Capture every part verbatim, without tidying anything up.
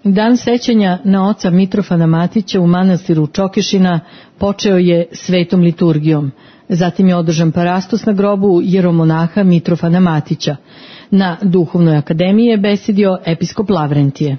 Dan sećanja na oca Mitrofana Matića u manastiru Čokešina počeo je svetom liturgijom. Zatim je održan parastos na grobu jeromonaha Mitrofana Matića. Na Duhovnoj akademiji je besedio episkop Lavrentije.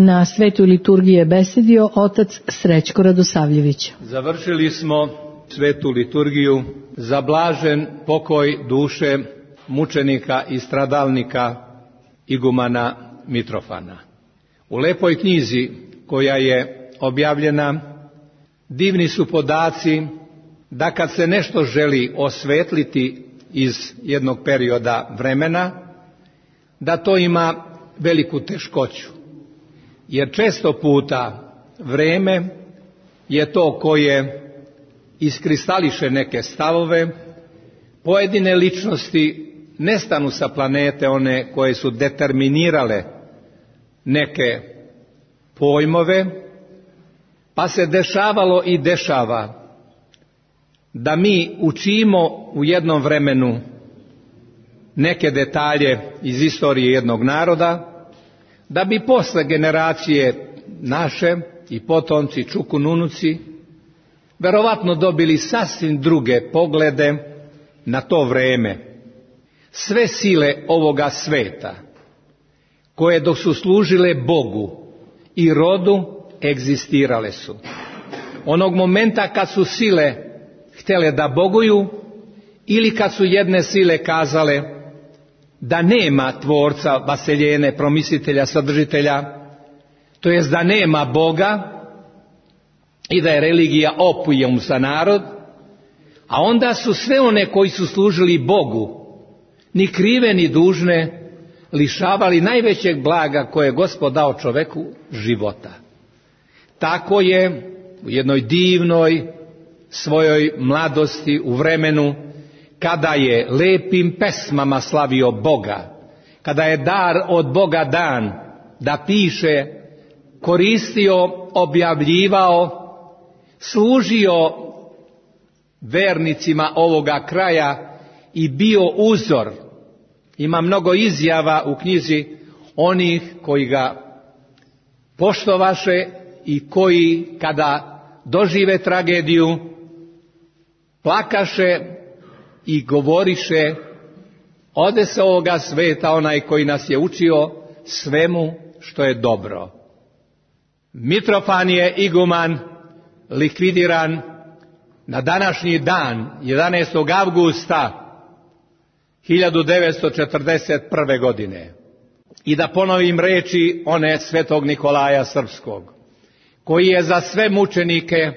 Na svetoj liturgiji je besedio otac Srećko Radosavljević. Završili smo svetu liturgiju za blažen pokoj duše mučenika i stradalnika igumana Mitrofana. U lepoj knjizi koja je objavljena divni su podaci da kad se nešto želi osvetliti iz jednog perioda vremena, da to ima veliku teškoću. Jer često puta vreme je to koje iskristališe neke stavove, pojedine ličnosti nestanu sa planete, one koje su determinirale neke pojmove, pa se dešavalo i dešava da mi učimo u jednom vremenu neke detalje iz istorije jednog naroda, da bi posle generacije naše i potomci, čukununuci, verovatno dobili sasvim druge poglede na to vreme. Sve sile ovoga sveta, koje dok su služile Bogu i rodu, egzistirale su. Onog momenta kad su sile htjele da boguju, ili kad su jedne sile kazale da nema tvorca, vaseljene, promislitelja, sadržitelja, to jest da nema Boga i da je religija opijum za narod, a onda su sve one koji su služili Bogu, ni krive ni dužne, lišavali najvećeg blaga koje je Gospod dao čoveku, života. Tako je u jednoj divnoj svojoj mladosti, u vremenu kada je lepim pesmama slavio Boga, kada je dar od Boga dan da piše, koristio, objavljivao, služio vernicima ovoga kraja i bio uzor. Ima mnogo izjava u knjizi onih koji ga poštovaše i koji kada dožive tragediju plakaše i govoriše: ode se ovoga sveta onaj koji nas je učio svemu što je dobro. Mitrofan je iguman likvidiran na današnji dan, jedanaestog avgusta hiljadu devetsto četrdeset prve. godine. I da ponovim reči one svetog Nikolaja Srpskog, koji je za sve mučenike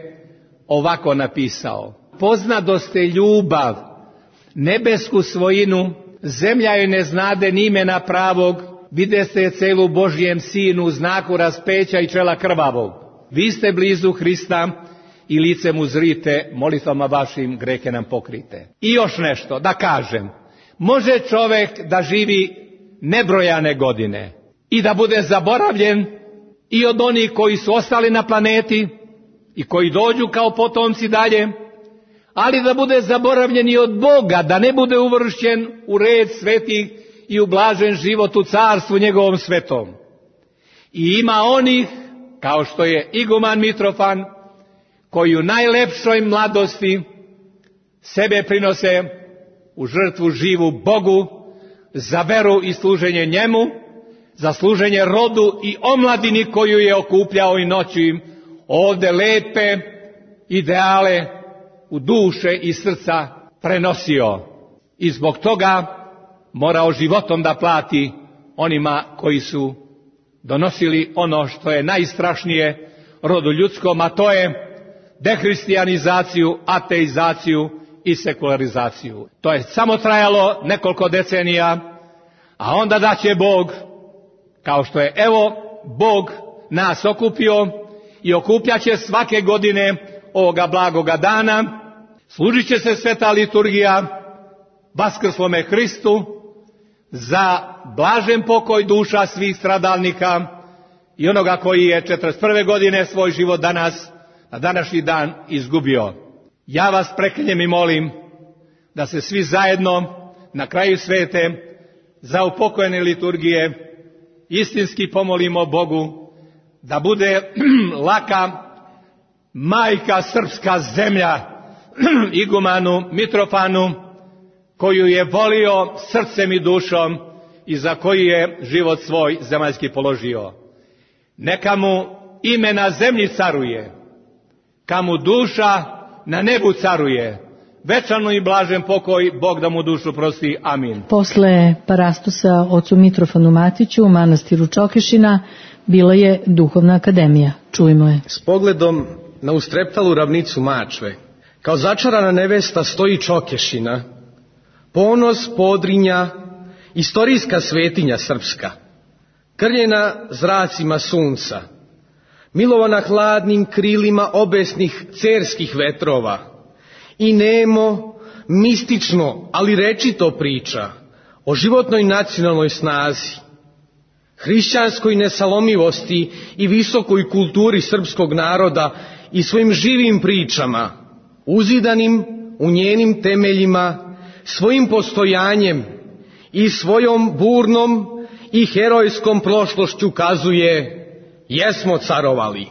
ovako napisao: poznadoste ljubav, nebesku svojinu, zemlja joj ne znade ni imena pravog, videste celu Božjem sinu, znaku raspeća i čela krvavog. Vi ste blizu Hrista i lice mu zrite, molitvama vašim grehe nam pokrite. I još nešto da kažem, može čovjek da živi nebrojane godine i da bude zaboravljen i od onih koji su ostali na planeti i koji dođu kao potomci dalje, ali da bude zaboravljen i od Boga, da ne bude uvršćen u red svetih i u blažen život u carstvu njegovom svetom. I ima onih, kao što je iguman Mitrofan, koji u najlepšoj mladosti sebe prinose u žrtvu živu Bogu, za veru i služenje njemu, za služenje rodu i omladini koju je okupljao i noću im ovde lepe ideale u duše i srca prenosio. I zbog toga morao životom da plati onima koji su donosili ono što je najstrašnije rodu ljudskom, a to je dehristijanizaciju, ateizaciju i sekularizaciju. To je samo trajalo nekoliko decenija, a onda da će Bog, kao što je evo Bog nas okupio i okupljat će svake godine ovoga blagoga dana, služit će se sveta liturgija vaskrslome Hristu za blažen pokoj duša svih stradalnika i onoga koji je četrdeset prve. godine svoj život danas, na današnji dan, izgubio. Ja vas preklinjem i molim da se svi zajedno na kraju svete za upokojene liturgije istinski pomolimo Bogu da bude laka majka srpska zemlja igumanu Mitrofanu, koju je volio srcem i dušom i za koju je život svoj zemaljski položio. Neka mu ime na zemlji caruje, ka mu duša na nebu caruje. Večano i blažen pokoj, Bog da mu dušu prosti. Amin. Posle parastosa ocu Mitrofanu Matiću u manastiru Čokešina bila je duhovna akademija. Čujmo je. S pogledom na ustreptalu ravnicu Mačve, kao začarana nevesta stoji Čokešina, ponos Podrinja, istorijska svetinja srpska, krljena zracima sunca, milovana hladnim krilima obesnih cerskih vetrova i nemo, mistično, ali rečito priča o životnoj nacionalnoj snazi, hrišćanskoj nesalomivosti i visokoj kulturi srpskog naroda i svojim živim pričama, uzidanim u njenim temeljima, svojim postojanjem i svojom burnom i herojskom prošlošću kazuje: jesmo carovali.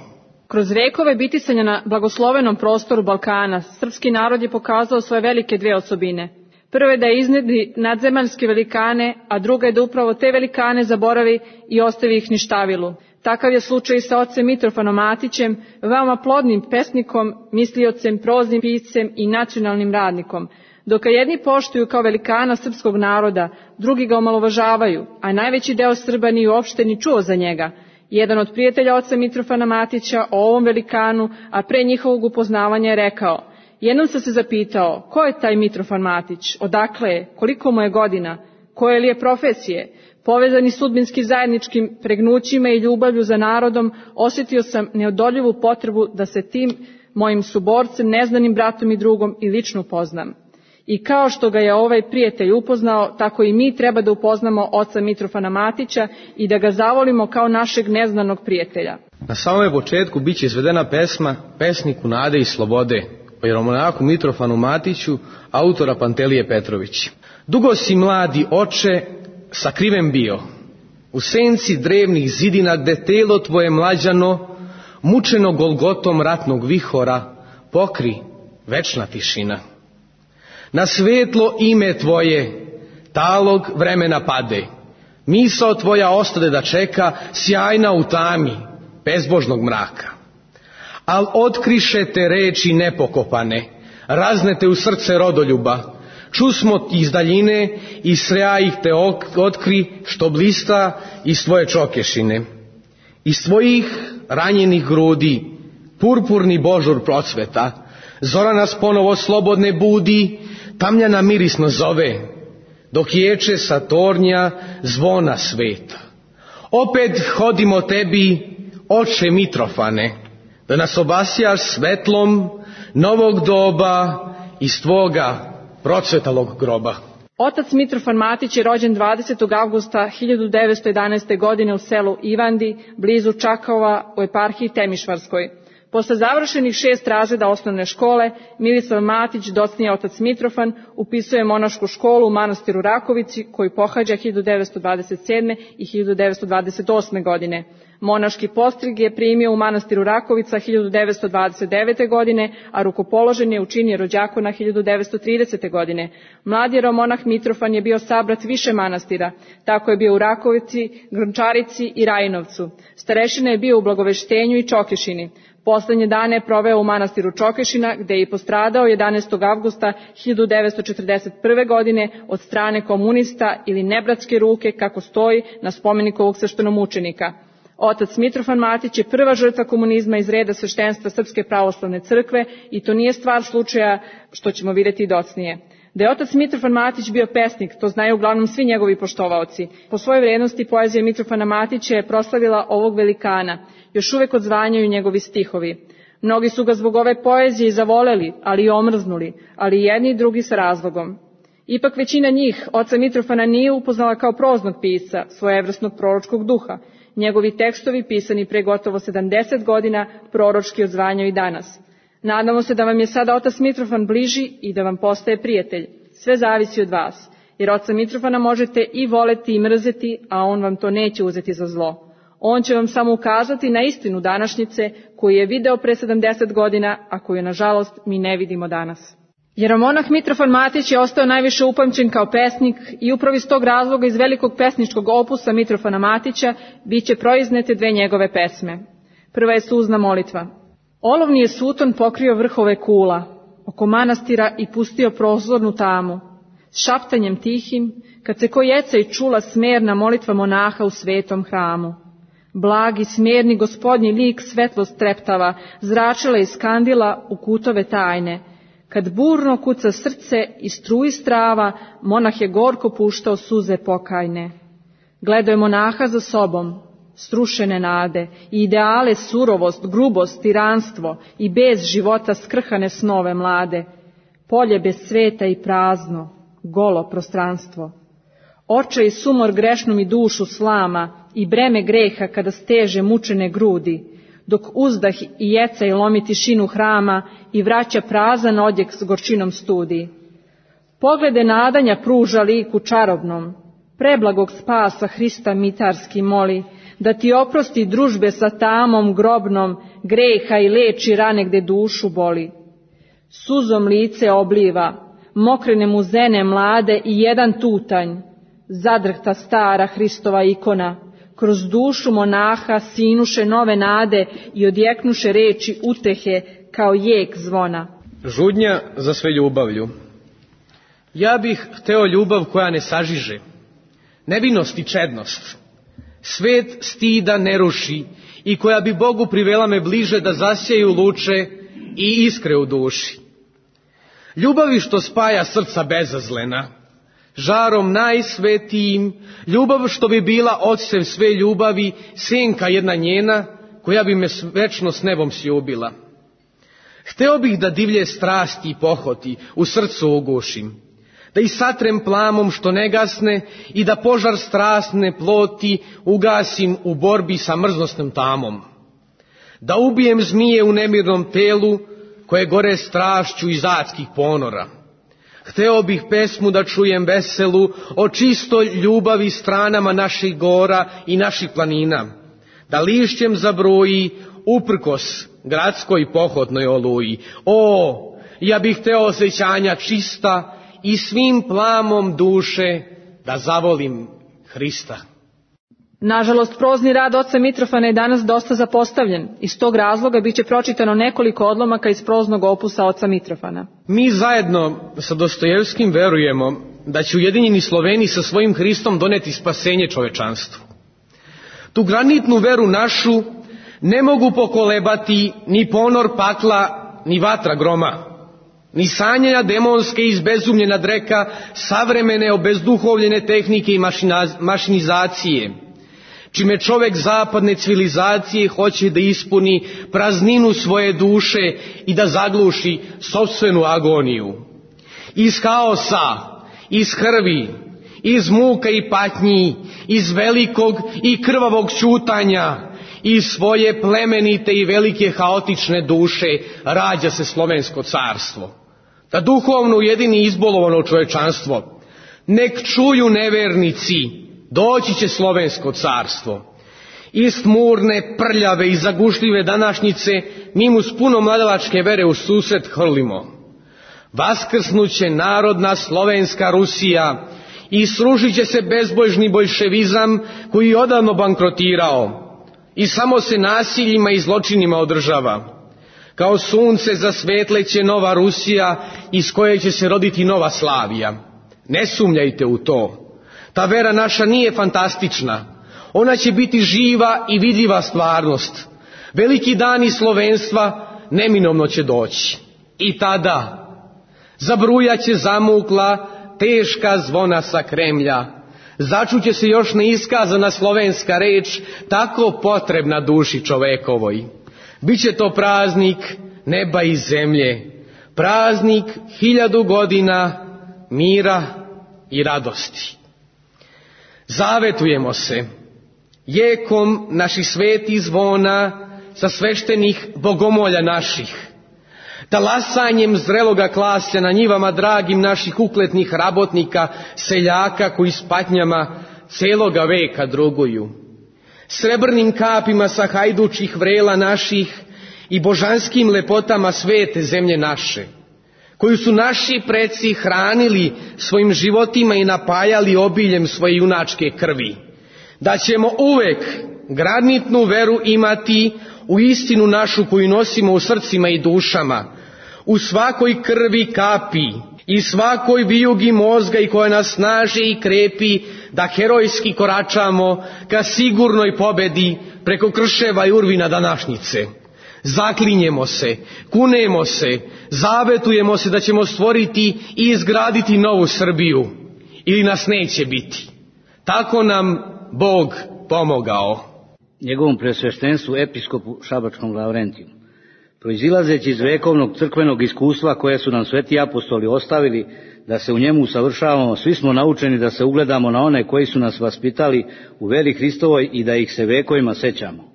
Kroz vekove bitisanja na blagoslovenom prostoru Balkana, srpski narod je pokazao svoje velike dve osobine. Prva je da iznedri nadzemaljske velikane, a druga je da upravo te velikane zaboravi i ostavi ih ništavilu. Takav je slučaj i sa ocem Mitrofanom Matićem, veoma plodnim pesnikom, misliocem, proznim piscem i nacionalnim radnikom. Dok jedni poštuju kao velikana srpskog naroda, drugi ga omalovažavaju, a najveći deo Srba nije uopšte ni čuo za njega. Jedan od prijatelja oca Mitrofana Matića o ovom velikanu, a pre njihovog upoznavanja je rekao: jednom sam se zapitao, ko je taj Mitrofan Matić, odakle je, koliko mu je godina, koje li je profesije. Povezani sudbinski zajedničkim pregnućima i ljubavlju za narodom, osjetio sam neodoljivu potrebu da se tim mojim suborcem, neznanim bratom i drugom i lično upoznam. I kao što ga je ovaj prijatelj upoznao, tako i mi treba da upoznamo oca Mitrofana Matića i da ga zavolimo kao našeg neznanog prijatelja. Na samom početku bit će izvedena pesma Pesniku nade i slobode o jeromonahu Mitrofanu Matiću, autora Pantelije Petrović. Dugo si, mladi oče, sakriven bio u senci drevnih zidina, gde telo tvoje mlađano, mučeno golgotom ratnog vihora, pokri večna tišina. Na svetlo ime tvoje talog vremena pade, misao tvoja ostade da čeka, sjajna u tami bezbožnog mraka. Al otkriše te reči nepokopane, raznete u srce rodoljuba, Čusmo iz daljine i sreja ih te otkri što blista iz tvoje čokešine. Iz tvojih ranjenih grudi purpurni božur procveta, zora nas ponovo slobodne budi, tamljana mirisno zove, dok ječe sa tornja zvona sveta. Opet hodimo tebi, oče Mitrofane, da nas obasjaš svetlom novog doba iz tvoga procvetalog groba. Otac Mitrofan Matić je rođen dvadesetog avgusta hiljadu devetsto jedanaeste. godine u selu Ivandi, blizu Čakova u eparhiji Temišvarskoj. Posle završenih šest razreda osnovne škole, Milisav Matić, docnije otac Mitrofan, upisuje monašku školu u manastiru Rakovici, koju pohađa hiljadu devetsto dvadeset sedme. i hiljadu devetsto dvadeset osme. godine. Monaški postrig je primio u manastiru Rakovica hiljadu devetsto dvadeset devete. godine, a rukopoložen je u čin jerođakona hiljadu devetsto tridesete. godine. Mladi jeromonah Mitrofan je bio sabrat više manastira. Tako je bio u Rakovici, Grnčarici i Rajinovcu. Starešina je bio u Blagoveštenju i Čokešini. Poslednje dane je proveo u manastiru Čokešina, gde je i postradao jedanaestog avgusta hiljadu devetsto četrdeset prve. godine od strane komunista ili nebratske ruke, kako stoji na spomeniku ovog sveštenomučenika. Otac Mitrofan Matić je prva žrtva komunizma iz reda sveštenstva Srpske pravoslavne crkve i to nije stvar slučaja, što ćemo vidjeti i docnije. Da je otac Mitrofan Matić bio pesnik, to znaju uglavnom svi njegovi poštovaoci. Po svojoj vrednosti poezija Mitrofana Matića je proslavila ovog velikana. Još uvek odzvanjaju njegovi stihovi. Mnogi su ga zbog ove poezije i zavoleli, ali i omrznuli, ali jedni i drugi sa razlogom. Ipak većina njih oca Mitrofana nije upoznala kao proznog pisca, svojevrsnog proročkog duha. Njegovi tekstovi, pisani pre gotovo sedamdeset godina, proročki odzvanjaju i danas. Nadamo se da vam je sada otac Mitrofan bliži i da vam postaje prijatelj. Sve zavisi od vas, jer oca Mitrofana možete i voleti i mrzeti, a on vam to neće uzeti za zlo. On će vam samo ukazati na istinu današnjice koju je video pre sedamdeset godina, a koju, nažalost, mi ne vidimo danas. Jeromonah Mitrofan Matić je ostao najviše upamćen kao pesnik i upravo iz tog razloga iz velikog pesničkog opusa Mitrofana Matića biće proiznete dve njegove pesme. Prva je Suzna molitva. Olovni je suton pokrio vrhove kula, oko manastira i pustio prozornu tamu. S šaptanjem tihim, kad se ko jeca i čula smerna molitva monaha u svetom hramu. Blagi, smerni gospodnji lik svetlost treptava, zračila iz kandila u kutove tajne. Kad burno kuca srce i struji strava, monah je gorko puštao suze pokajne. Gledao je monaha za sobom, strušene nade, i ideale surovost, grubost, tiranstvo i bez života skrhane snove mlade. Polje bez sveta i prazno, golo prostranstvo. Oče i sumor grešnu mi dušu slama i breme greha kada steže mučene grudi, dok uzdah i jeca i lomi tišinu hrama i vraća prazan odjek s gorčinom studi. Poglede nadanja pruža liku čarobnom, preblagog spasa Hrista mitarski moli, da ti oprosti družbe sa tamom grobnom, greha i leči rane gde dušu boli. Suzom lice obliva, mokrene mu zene mlade i jedan tutanj, zadrhta stara Hristova ikona, kroz dušu monaha sinuše nove nade i odjeknuše reči utehe kao jek zvona. Žudnja za sve ljubavlju. Ja bih hteo ljubav koja ne sažiže, nevinost i čednost, svet stida ne ruši i koja bi Bogu privela me bliže da zasjeju luče i iskre u duši. Ljubavi što spaja srca bezazlena, žarom najsvetijim, ljubav što bi bila odsev sve ljubavi, senka jedna njena, koja bi me večno s nebom sljubila. Hteo bih da divlje strasti i pohoti u srcu ugušim, da ih satrem plamom što ne gasne i da požar strasne ploti ugasim u borbi sa mrznosnom tamom. Da ubijem zmije u nemirnom telu koje gore strašću iz adskih ponora. Hteo bih pesmu da čujem veselu o čistoj ljubavi stranama naših gora i naših planina, da lišćem zabroji uprkos gradskoj pohotnoj oluji. O, ja bih hteo osjećanja čista i svim plamom duše da zavolim Hrista. Nažalost, prozni rad oca Mitrofana je danas dosta zapostavljen. Iz tog razloga biće pročitano nekoliko odlomaka iz proznog opusa oca Mitrofana. Mi zajedno sa Dostojevskim verujemo da će ujedinjeni Sloveni sa svojim Hristom doneti spasenje čovečanstvu. Tu granitnu veru našu ne mogu pokolebati ni ponor pakla, ni vatra groma, ni sanjanja demonske izbezumljena dreka savremene obezduhovljene tehnike i mašinizacije, čime čovek zapadne civilizacije hoće da ispuni prazninu svoje duše i da zagluši sopstvenu agoniju. Iz haosa, iz krvi, iz muka i patnji, iz velikog i krvavog ćutanja, iz svoje plemenite i velike haotične duše rađa se slovensko carstvo. Da duhovno ujedini izbolovano čovečanstvo. Nek čuju nevernici, doći će slovensko carstvo. Iz tmurne, prljave i zagušljive današnjice mi mu s puno mladalačke vere u susret hrlimo. Vaskrsnuće narodna slovenska Rusija i srušit će se bezbožni boljševizam koji je odavno bankrotirao i samo se nasiljima i zločinima održava. Kao sunce zasvetleće nova Rusija iz koje će se roditi nova Slavija. Ne sumnjajte u to. Ta vera naša nije fantastična. Ona će biti živa i vidljiva stvarnost. Veliki dani slovenstva neminovno će doći. I tada zabrujaće zamukla teška zvona sa Kremlja. Začuće se još neiskazana slovenska reč, tako potrebna duši čovekovoj. Biće to praznik neba i zemlje, praznik hiljadu godina mira i radosti. Zavetujemo se jekom naših svetih zvona sa sveštenih bogomolja naših, talasanjem zreloga klasja na njivama dragim naših ukletnih rabotnika, seljaka koji s patnjama celoga veka druguju, srebrnim kapima sa hajdučih vrela naših i božanskim lepotama svete zemlje naše, koju su naši preci hranili svojim životima i napajali obiljem svoje junačke krvi, da ćemo uvek granitnu veru imati u istinu našu koju nosimo u srcima i dušama, u svakoj krvi kapi i svakoj vijugi mozga i koja nas snaži i krepi da herojski koračamo ka sigurnoj pobedi preko krševa i urvina današnjice. Zaklinjemo se, kunemo se, zavetujemo se da ćemo stvoriti i izgraditi novu Srbiju ili nas neće biti. Tako nam Bog pomogao. Njegovom presveštenstvu episkopu Šabačkom Lavrentiju. Proizilazeći iz vekovnog crkvenog iskustva koje su nam sveti apostoli ostavili da se u njemu usavršavamo, svi smo naučeni da se ugledamo na one koji su nas vaspitali u veri Hristovoj i da ih se vekovima sećamo.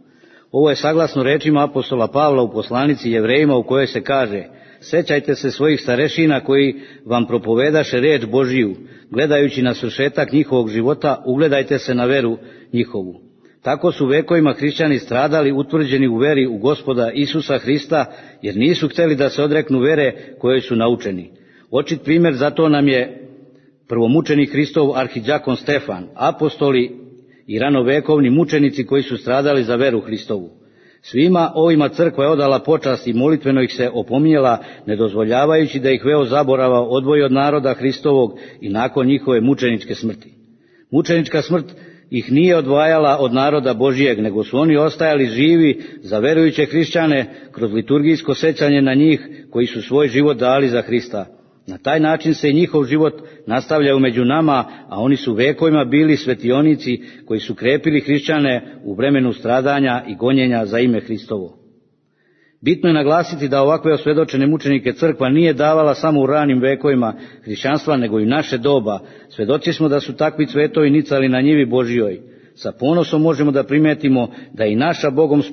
Ovo je saglasno rečima apostola Pavla u poslanici Jevrejima u kojoj se kaže: sećajte se svojih starešina koji vam propovedaše reč Božiju, gledajući na svršetak njihovog života, ugledajte se na veru njihovu. Tako su vekovima hrišćani stradali utvrđeni u veri u Gospoda Isusa Hrista, jer nisu htjeli da se odreknu vere koje su naučeni. Očit primjer za to nam je prvomučenik Hristov arhidjakon Stefan, apostoli i ranovekovni mučenici koji su stradali za veru Hristovu. Svima ovima crkva je odala počast i molitveno ih se opominjala, ne dozvoljavajući da ih veo zaborava odvoji od naroda Hristovog i nakon njihove mučeničke smrti. Mučenička smrt ih nije odvajala od naroda Božijeg, nego su oni ostajali živi za verujuće hrišćane kroz liturgijsko sećanje na njih koji su svoj život dali za Hrista. Na taj način se i njihov život nastavljaju među nama, a oni su vekovima bili svetionici koji su krepili hrišćane u vremenu stradanja i gonjenja za ime Hristovo. Bitno je naglasiti da ovakve osvedočene mučenike crkva nije davala samo u ranim vekovima hrišćanstva, nego i u naše doba. Svedoci smo da su takvi cvetovi nicali na njivi Božijoj. Sa ponosom možemo da primetimo da i naša Bogom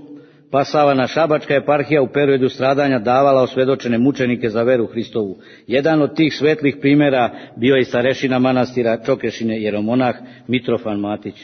spasavana Šabačka eparhija u periodu stradanja davala osvedočene mučenike za veru Hristovu. Jedan od tih svetlih primjera bio je starešina manastira Čokešine jeromonah Mitrofan Matić.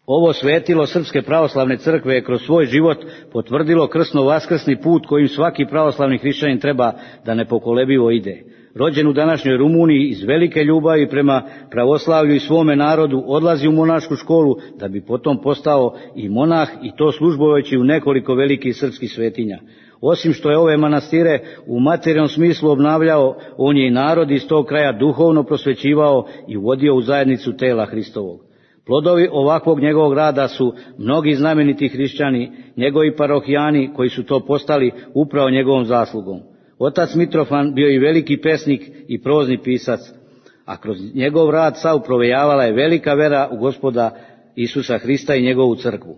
Ovo svetilo Srpske pravoslavne crkve je kroz svoj život potvrdilo krsno-vaskrsni put kojim svaki pravoslavni hrišćanin treba da nepokolebivo ide. rođen u današnjoj Rumuniji, iz velike ljubavi prema pravoslavlju i svome narodu odlazi u monašku školu da bi potom postao i monah, i to službujući u nekoliko velikih srpskih svetinja. Osim što je ove manastire u materijalnom smislu obnavljao, on je i narod iz tog kraja duhovno prosvećivao i uvodio u zajednicu tela Hristovog. Plodovi ovakvog njegovog rada su mnogi znameniti hrišćani, njegovi parohijani koji su to postali upravo njegovom zaslugom. Otac Mitrofan bio i veliki pesnik i prozni pisac, a kroz njegov rad sav provejavala je velika vera u Gospoda Isusa Hrista i njegovu crkvu.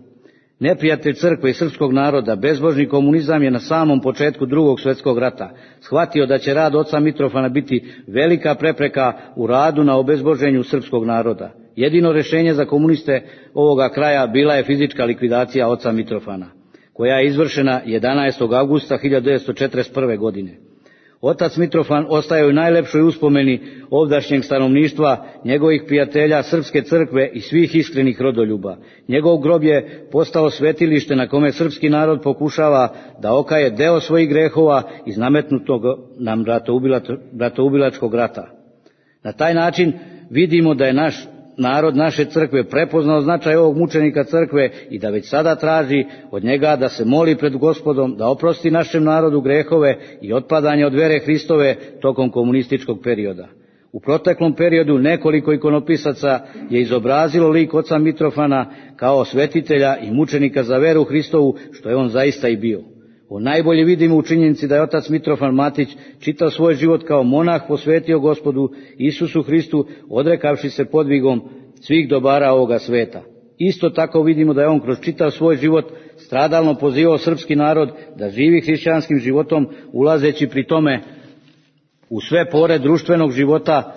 Neprijatelj crkve i srpskog naroda, bezbožni komunizam, je na samom početku drugog svjetskog rata shvatio da će rad oca Mitrofana biti velika prepreka u radu na obezboženju srpskog naroda. Jedino rješenje za komuniste ovoga kraja bila je fizička likvidacija oca Mitrofana, koja je izvršena jedanaestog avgusta hiljadu devetsto četrdeset prve. godine. Otac Mitrofan ostaje u najlepšoj uspomeni ovdašnjeg stanovništva, njegovih prijatelja, srpske crkve i svih iskrenih rodoljuba. Njegov grob je postao svetilište na kome srpski narod pokušava da okaje deo svojih grehova iz nametnutog nam bratoubilačkog rata. Na taj način vidimo da je naš narod naše crkve prepoznao značaj ovog mučenika crkve i da već sada traži od njega da se moli pred Gospodom da oprosti našem narodu grehove i otpadanje od vere Hristove tokom komunističkog perioda. U proteklom periodu nekoliko ikonopisaca je izobrazilo lik oca Mitrofana kao svetitelja i mučenika za veru Hristovu, što je on zaista i bio. On najbolje vidimo u činjenici da je otac Mitrofan Matić čitav svoj život kao monah posvetio Gospodu Isusu Hristu, odrekavši se podvigom svih dobara ovoga sveta. Isto tako vidimo da je on kroz čitav svoj život stradalno pozivao srpski narod da živi hrišćanskim životom, ulazeći pri tome u sve pore društvenog života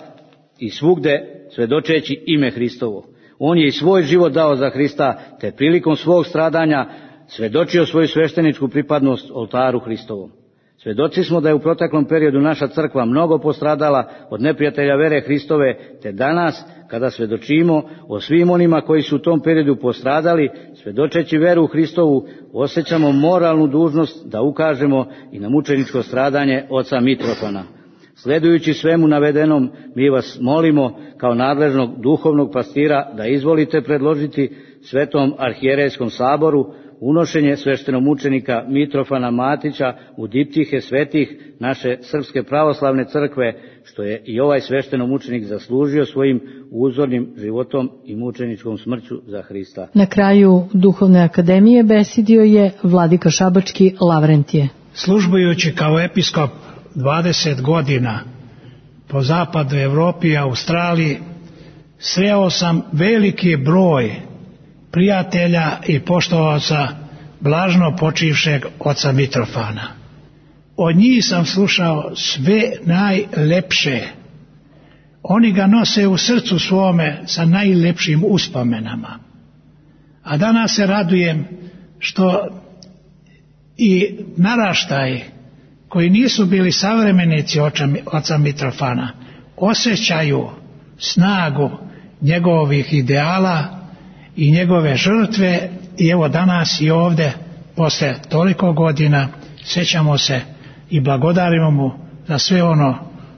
i svugde svedočeći ime Hristovo. On je i svoj život dao za Hrista, te prilikom svog stradanja svedočio svoju svešteničku pripadnost oltaru Hristovom. Svedoci smo da je u proteklom periodu naša crkva mnogo postradala od neprijatelja vere Hristove, te danas, kada svedočimo o svim onima koji su u tom periodu postradali, svedočeći veru u Hristovu, osjećamo moralnu dužnost da ukažemo i na mučeničko stradanje oca Mitrofana. Sledujući svemu navedenom, mi vas molimo kao nadležnog duhovnog pastira da izvolite predložiti Svetom arhijerejskom saboru unošenje sveštenomučenika Mitrofana Matića u diptihe svetih naše Srpske pravoslavne crkve, što je i ovaj sveštenomučenik zaslužio svojim uzornim životom i mučeničkom smrću za Hrista. Na kraju Duhovne akademije besidio je vladika šabački Lavrentije. Službujući kao episkop dvadeset godina po zapadu Evropi i Australiji, sreo sam veliki broj prijatelja i poštovaoca blažno počivšeg oca Mitrofana. Od njih sam slušao sve najlepše. Oni ga nose u srcu svome sa najlepšim uspomenama. A danas se radujem što i naraštaji koji nisu bili savremenici oca Mitrofana osjećaju snagu njegovih ideala i njegove žrtve, i evo danas i ovdje posle toliko godina sjećamo se i blagodarimo mu za sve ono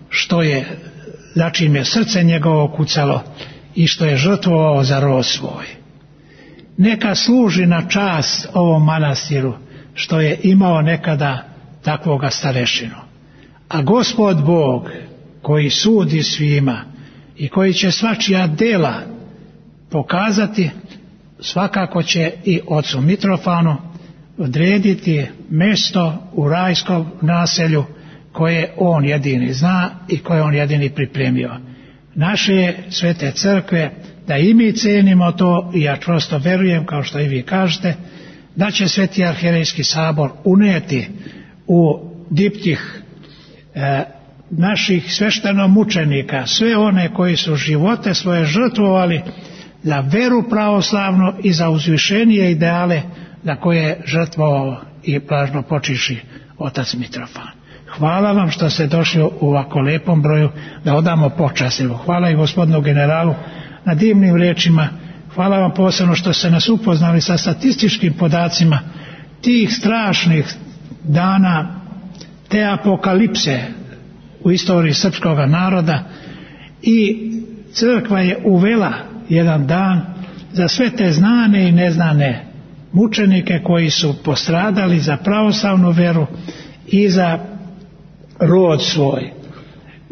što je, za čim je srce njegovo kucalo i što je žrtvovao za rod svoj. Neka služi na čast ovom manastiru što je imao nekada takvoga starešinu. A Gospod Bog koji sudi svima i koji će svačija dela pokazati, svakako će i ocu Mitrofanu odrediti mjesto u rajskom naselju koje on jedini zna i koje on jedini pripremio. Naše svete crkve, da i mi cenimo to, i ja čvrsto verujem, kao što i vi kažete, da će Sveti arhijerejski sabor unijeti u diptih e, naših sveštenomučenika sve one koji su živote svoje žrtvovali za veru pravoslavnu i za uzvišenije ideale za koje je žrtvovao i blažno počiši otac Mitrofan. Hvala vam što ste došli u ovako lepom broju da odamo počast. Hvala i gospodinu generalu na divnim riječima. Hvala vam posebno što ste nas upoznali sa statističkim podacima tih strašnih dana, te apokalipse u istoriji srpskog naroda i crkva je uvela jedan dan za sve te znane i neznane mučenike koji su postradali za pravoslavnu veru i za rod svoj.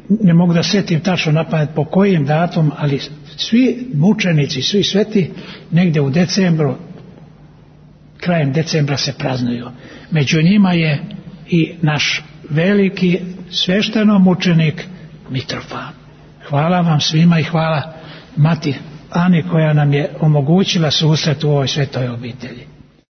Ne mogu da setim tačno na pamet po kojim datum, ali svi mučenici, svi sveti negdje u decembru, krajem decembra se praznuju. Među njima je i naš veliki sveštenomučenik Mitrofan. Hvala vam svima i hvala Mati Ani koja nam je omogućila susret u ovoj svetoj obitelji.